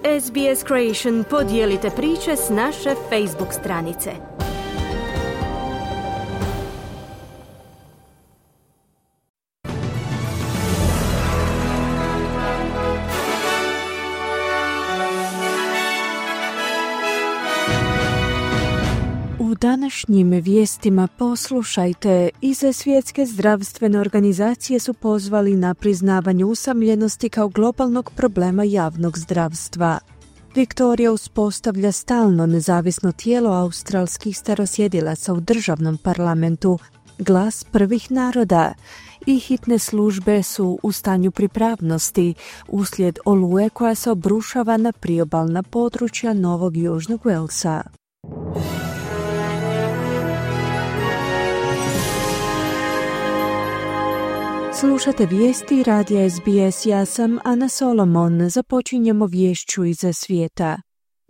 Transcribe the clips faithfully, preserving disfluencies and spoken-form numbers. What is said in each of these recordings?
S B S Creation podijelite priče s naše Facebook stranice. U današnjim vijestima poslušajte, iz Svjetske zdravstvene organizacije su pozvali na priznavanje usamljenosti kao globalnog problema javnog zdravstva. Viktorija uspostavlja stalno nezavisno tijelo australskih starosjedilaca u državnom parlamentu, Glas prvih naroda, i hitne službe su u stanju pripravnosti uslijed oluje koja se obrušava na priobalna područja Novog Južnog Walesa. Slušate vijesti radija S B S, ja sam Ana Solomon. Započinjemo viješću iz svijeta.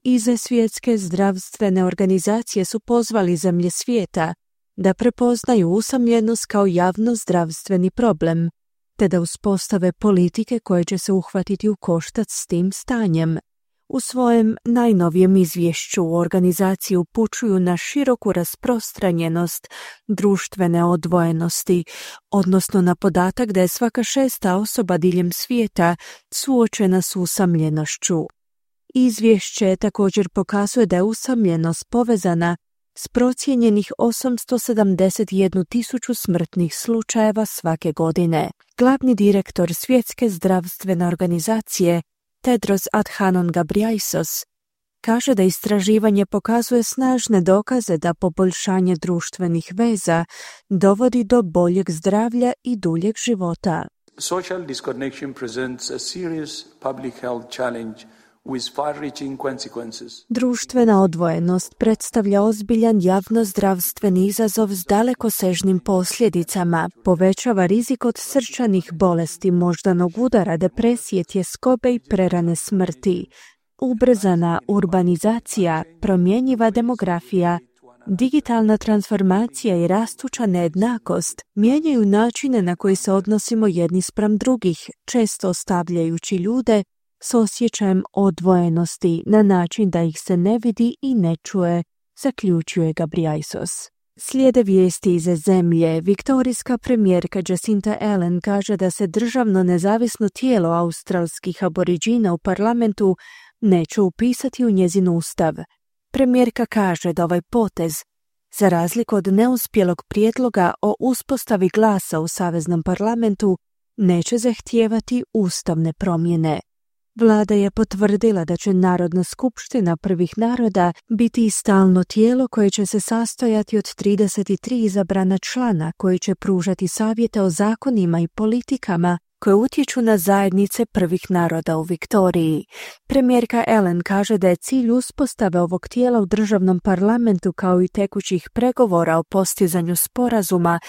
Iz Svjetske zdravstvene organizacije su pozvali zemlje svijeta da prepoznaju usamljenost kao javno zdravstveni problem, te da uspostave politike koje će se uhvatiti u koštac s tim stanjem. U svojem najnovijem izvješću organizaciji upućuju na široku rasprostranjenost društvene odvojenosti, odnosno na podatak da je svaka šesta osoba diljem svijeta suočena s usamljenošću. Izvješće također pokazuje da je usamljenost povezana s procijenjenih osamsto sedamdeset jednu tisuću smrtnih slučajeva svake godine. Glavni direktor Svjetske zdravstvene organizacije Tedros Adhanom Ghebreyesus kaže da istraživanje pokazuje snažne dokaze da poboljšanje društvenih veza dovodi do boljeg zdravlja i duljeg života. Social disconnection presents a serious public health challenge with far-reaching consequences. Društvena odvojenost predstavlja ozbiljan javnozdravstveni izazov s dalekosežnim posljedicama, povećava rizik od srčanih bolesti, moždanog udara, depresije, tjeskobe i prerane smrti. Ubrzana urbanizacija, promjenjiva demografija, digitalna transformacija i rastuća nejednakost mijenjaju načine na koji se odnosimo jedni spram drugih, često ostavljajući ljude s osjećajem odvojenosti na način da ih se ne vidi i ne čuje, zaključuje Ghebreyesus. Slijede vijesti iz zemlje. Viktorijska premijerka Jacinta Ardern kaže da se državno nezavisno tijelo australskih aboriđina u parlamentu neće upisati u njezin ustav. Premijerka kaže da ovaj potez, za razliku od neuspjelog prijedloga o uspostavi glasa u saveznom parlamentu, neće zahtijevati ustavne promjene. Vlada je potvrdila da će Narodna skupština prvih naroda biti i stalno tijelo koje će se sastojati od trideset tri izabrana člana koji će pružati savjete o zakonima i politikama koje utječu na zajednice prvih naroda u Viktoriji. Premijerka Ardern kaže da je cilj uspostave ovog tijela u državnom parlamentu kao i tekućih pregovora o postizanju sporazuma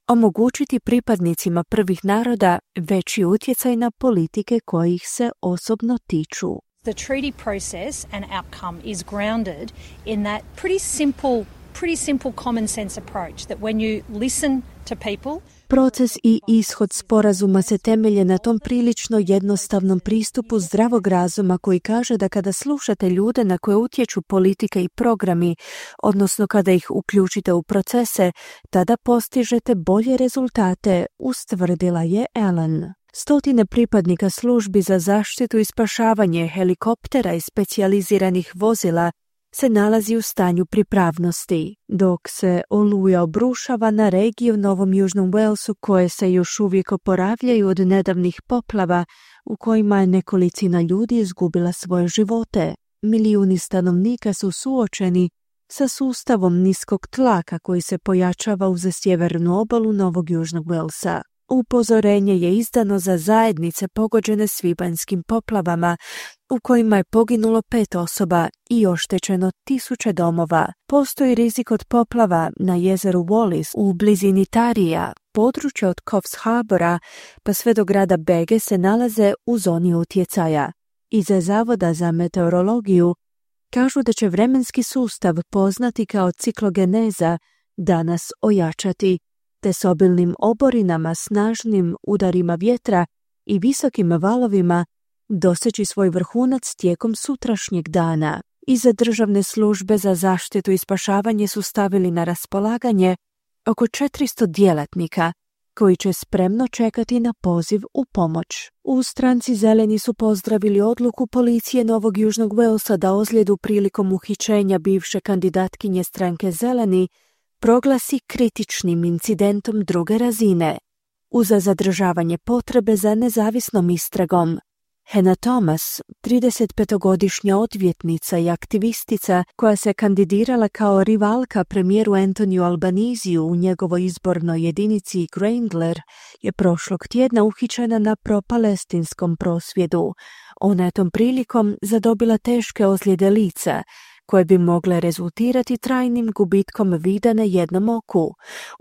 omogućiti pripadnicima prvih naroda veći utjecaj na politike kojih se osobno tiču. The treaty process and outcome is grounded in that pretty simple, pretty simple common sense approach that when you listen to people, Proces i ishod sporazuma se temelje na tom prilično jednostavnom pristupu zdravog razuma koji kaže da kada slušate ljude na koje utječu politike i programi, odnosno kada ih uključite u procese, tada postižete bolje rezultate, ustvrdila je Ardern. Stotine pripadnika službi za zaštitu i spašavanje, helikoptera i specijaliziranih vozila se nalazi u stanju pripravnosti, dok se oluja obrušava na regiju u Novom Južnom Walesu koje se još uvijek oporavljaju od nedavnih poplava u kojima je nekolicina ljudi izgubila svoje živote. Milijuni stanovnika su suočeni sa sustavom niskog tlaka koji se pojačava uz sjevernu obalu Novog Južnog Walesa. Upozorenje je izdano za zajednice pogođene svibanjskim poplavama, u kojima je poginulo pet osoba i oštećeno tisuće domova. Postoji rizik od poplava na jezeru Wallis u blizini Tarija. Područje od Coffs Harbora pa sve do grada Bege se nalaze u zoni utjecaja. Iz Zavoda za meteorologiju kažu da će vremenski sustav poznati kao ciklogeneza danas ojačati, te s obilnim oborinama, snažnim udarima vjetra i visokim valovima doseći svoj vrhunac tijekom sutrašnjeg dana. Iza Državne službe za zaštitu i spašavanje su stavili na raspolaganje oko četiristo djelatnika koji će spremno čekati na poziv u pomoć. U stranci Zeleni su pozdravili odluku policije Novog Južnog Walesa da ozljedu prilikom uhićenja bivše kandidatkinje stranke Zeleni proglasi kritičnim incidentom druge razine, uza zadržavanje potrebe za nezavisnom istragom. Hannah Thomas, tridesetpetogodišnja odvjetnica i aktivistica koja se kandidirala kao rivalka premijeru Antoniju Albanisiju u njegovoj izbornoj jedinici Grayndler, je prošlog tjedna uhićena na propalestinskom prosvjedu. Ona je tom prilikom zadobila teške ozljede lica, koje bi mogle rezultirati trajnim gubitkom vida na jednom oku.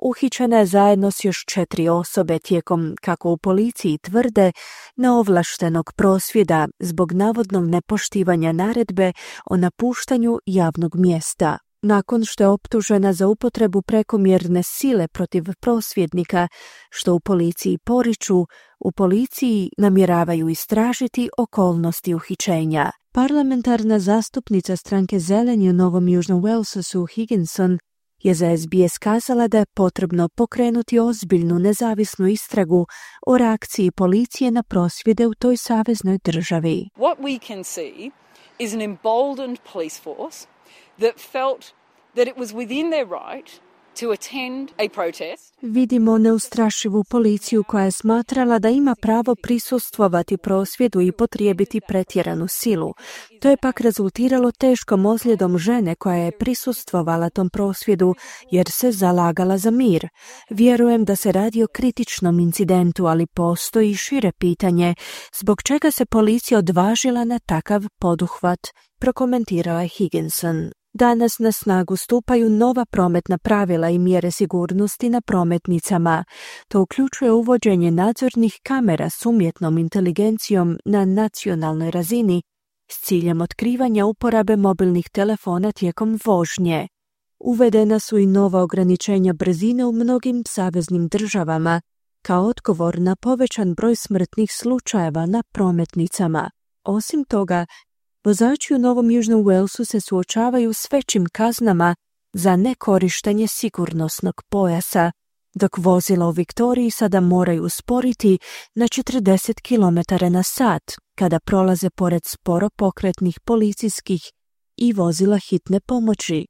Uhićena je zajedno s još četiri osobe tijekom, kako u policiji tvrde, neovlaštenog prosvjeda zbog navodnog nepoštivanja naredbe o napuštanju javnog mjesta. Nakon što je optužena za upotrebu prekomjerne sile protiv prosvjednika, što u policiji poriču, u policiji namjeravaju istražiti okolnosti uhićenja. Parlamentarna zastupnica stranke Zeleni u Novom Južnom Walesu Sue Higginson je za S B S kazala da je potrebno pokrenuti ozbiljnu nezavisnu istragu o reakciji policije na prosvjede u toj saveznoj državi. What we can see is an emboldened police force that felt that it was within their right to attend a protest. Vidimo neustrašivu policiju koja je smatrala da ima pravo prisustvovati prosvjedu i potrijebiti pretjeranu silu. To je pak rezultiralo teškom ozljedom žene koja je prisustvovala tom prosvjedu jer se zalagala za mir. Vjerujem da se radi o kritičnom incidentu, ali postoji šire pitanje zbog čega se policija odvažila na takav poduhvat, prokomentirala je Higginson. Danas na snagu stupaju nova prometna pravila i mjere sigurnosti na prometnicama. To uključuje uvođenje nadzornih kamera s umjetnom inteligencijom na nacionalnoj razini s ciljem otkrivanja uporabe mobilnih telefona tijekom vožnje. Uvedena su i nova ograničenja brzine u mnogim saveznim državama, kao odgovor na povećan broj smrtnih slučajeva na prometnicama. Osim toga, vozači u Novom Južnom Walesu se suočavaju s većim kaznama za nekorištenje sigurnosnog pojasa, dok vozila u Viktoriji sada moraju usporiti na četrdeset kilometara na sat kada prolaze pored sporo pokretnih policijskih i vozila hitne pomoći.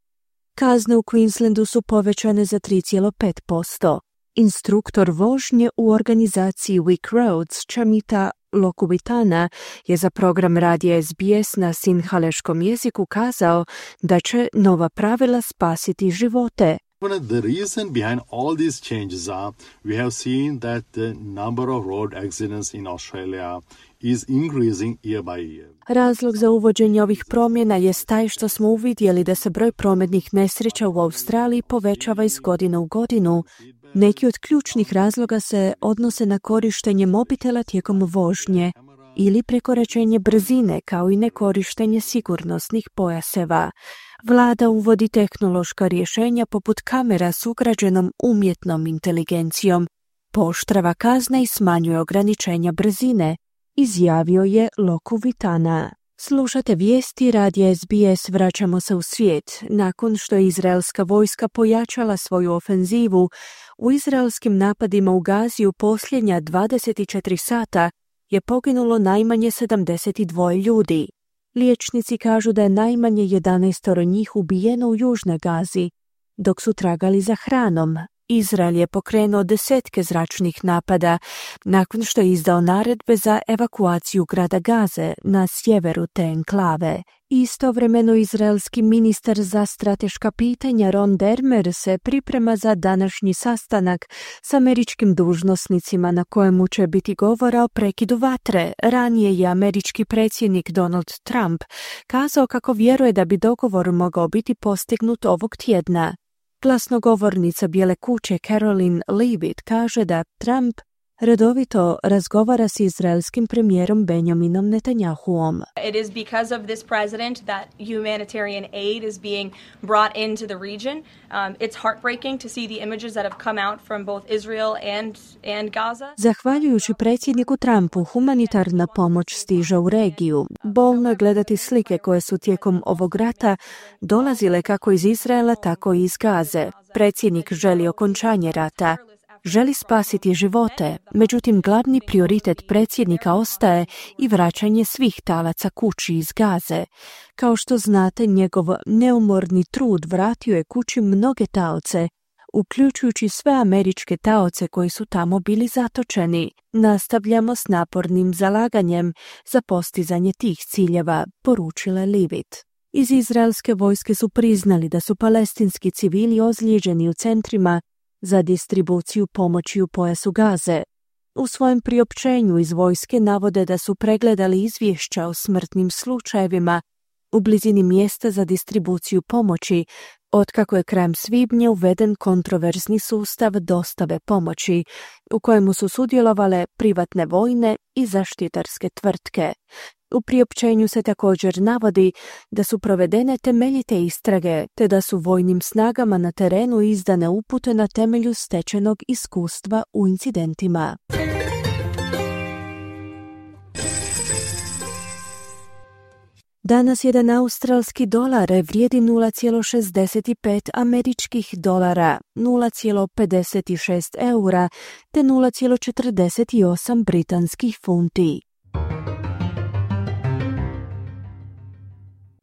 Kazne u Queenslandu su povećane za tri zarez pet posto. Instruktor vožnje u organizaciji Wick Roads, Chamita Lokubitana, je za program radija S B S na sinhaleškom jeziku kazao da će nova pravila spasiti živote. The reason behind all these changes are we have seen that the number of road accidents in Australia is increasing year by year. Razlog za uvođenje ovih promjena je taj što smo uvidjeli da se broj prometnih nesreća u Australiji povećava iz godine u godinu. Neki od ključnih razloga se odnose na korištenje mobitela tijekom vožnje ili prekoračenje brzine, kao i nekorištenje sigurnosnih pojaseva. Vlada uvodi tehnološka rješenja poput kamera s ugrađenom umjetnom inteligencijom, pooštrava kazne i smanjuje ograničenja brzine, izjavio je Lokuvitana. Slušate vijesti radija S B S, vraćamo se u svijet. Nakon što je izraelska vojska pojačala svoju ofenzivu, u izraelskim napadima u Gazi u posljednja dvadeset četiri sata je poginulo najmanje sedamdeset dva ljudi. Liječnici kažu da je najmanje jedanaest njih ubijeno u južnoj Gazi, dok su tragali za hranom. Izrael je pokrenuo desetke zračnih napada nakon što je izdao naredbe za evakuaciju grada Gaze na sjeveru te enklave. Istovremeno izraelski ministar za strateška pitanja Ron Dermer se priprema za današnji sastanak s američkim dužnosnicima na kojemu će biti govora o prekidu vatre. Ranije je američki predsjednik Donald Trump kazao kako vjeruje da bi dogovor mogao biti postignut ovog tjedna. Glasnogovornica Bijele kuće Caroline Leavitt kaže da Trump Redovito razgovara s izraelskim premijerom Benjaminom Netanjahuom. It is because of this president that humanitarian aid is being brought into the region. Um, it's heartbreaking to see the images that have come out from both Israel and, and Gaza. Zahvaljujući predsjedniku Trumpu, humanitarna pomoć stiže u regiju. Bolno je gledati slike koje su tijekom ovog rata dolazile kako iz Izraela, tako i iz Gaze. Predsjednik želi okončanje rata. Želi spasiti živote, međutim glavni prioritet predsjednika ostaje i vraćanje svih talaca kući iz Gaze. Kao što znate, njegov neumorni trud vratio je kući mnoge taoce, uključujući sve američke taoce koji su tamo bili zatočeni. Nastavljamo s napornim zalaganjem za postizanje tih ciljeva, poručila je Leavitt. Iz izraelske vojske su priznali da su palestinski civili ozlijeđeni u centrima za distribuciju pomoći u pojasu Gaze. U svojem priopćenju iz vojske navode da su pregledali izvješća o smrtnim slučajevima u blizini mjesta za distribuciju pomoći, otkako je krajem svibnja uveden kontroverzni sustav dostave pomoći, u kojemu su sudjelovale privatne vojne i zaštitarske tvrtke. U priopćenju se također navodi da su provedene temeljite istrage, te da su vojnim snagama na terenu izdane upute na temelju stečenog iskustva u incidentima. Danas jedan australski dolar vrijedi nula zarez šezdeset pet američkih dolara, nula zarez pedeset šest eura te nula zarez četrdeset osam britanskih funti.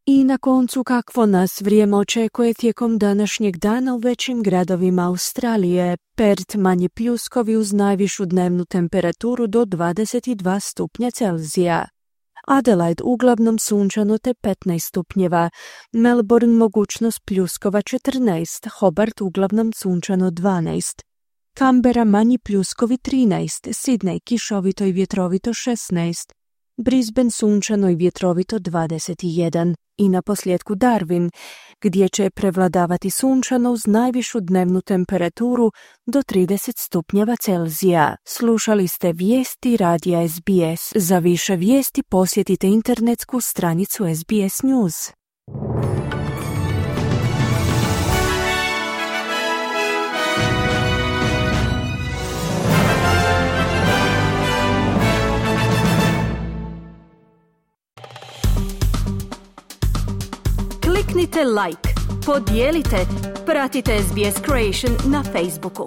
I na koncu, kakvo nas vrijeme očekuje tijekom današnjeg dana u većim gradovima Australije. Perth manje pljuskovi uz najvišu dnevnu temperaturu do dvadeset dva stupnja Celzija. Adelaide uglavnom sunčano te petnaest stupnjeva, Melbourne mogućnost pljuskova četrnaest, Hobart uglavnom sunčano dvanaest, Canberra manji pljuskovi trinaest, Sydney kišovito i vjetrovito šesnaest, Brisbane sunčano i vjetrovito dvadeset jedan i na posljedku Darwin, gdje će prevladavati sunčano uz najvišu dnevnu temperaturu do trideset stupnjeva Celzija. Slušali ste vijesti radija S B S. Za više vijesti posjetite internetsku stranicu S B S News. Kliknite like, podijelite, pratite S B S Creation na Facebooku.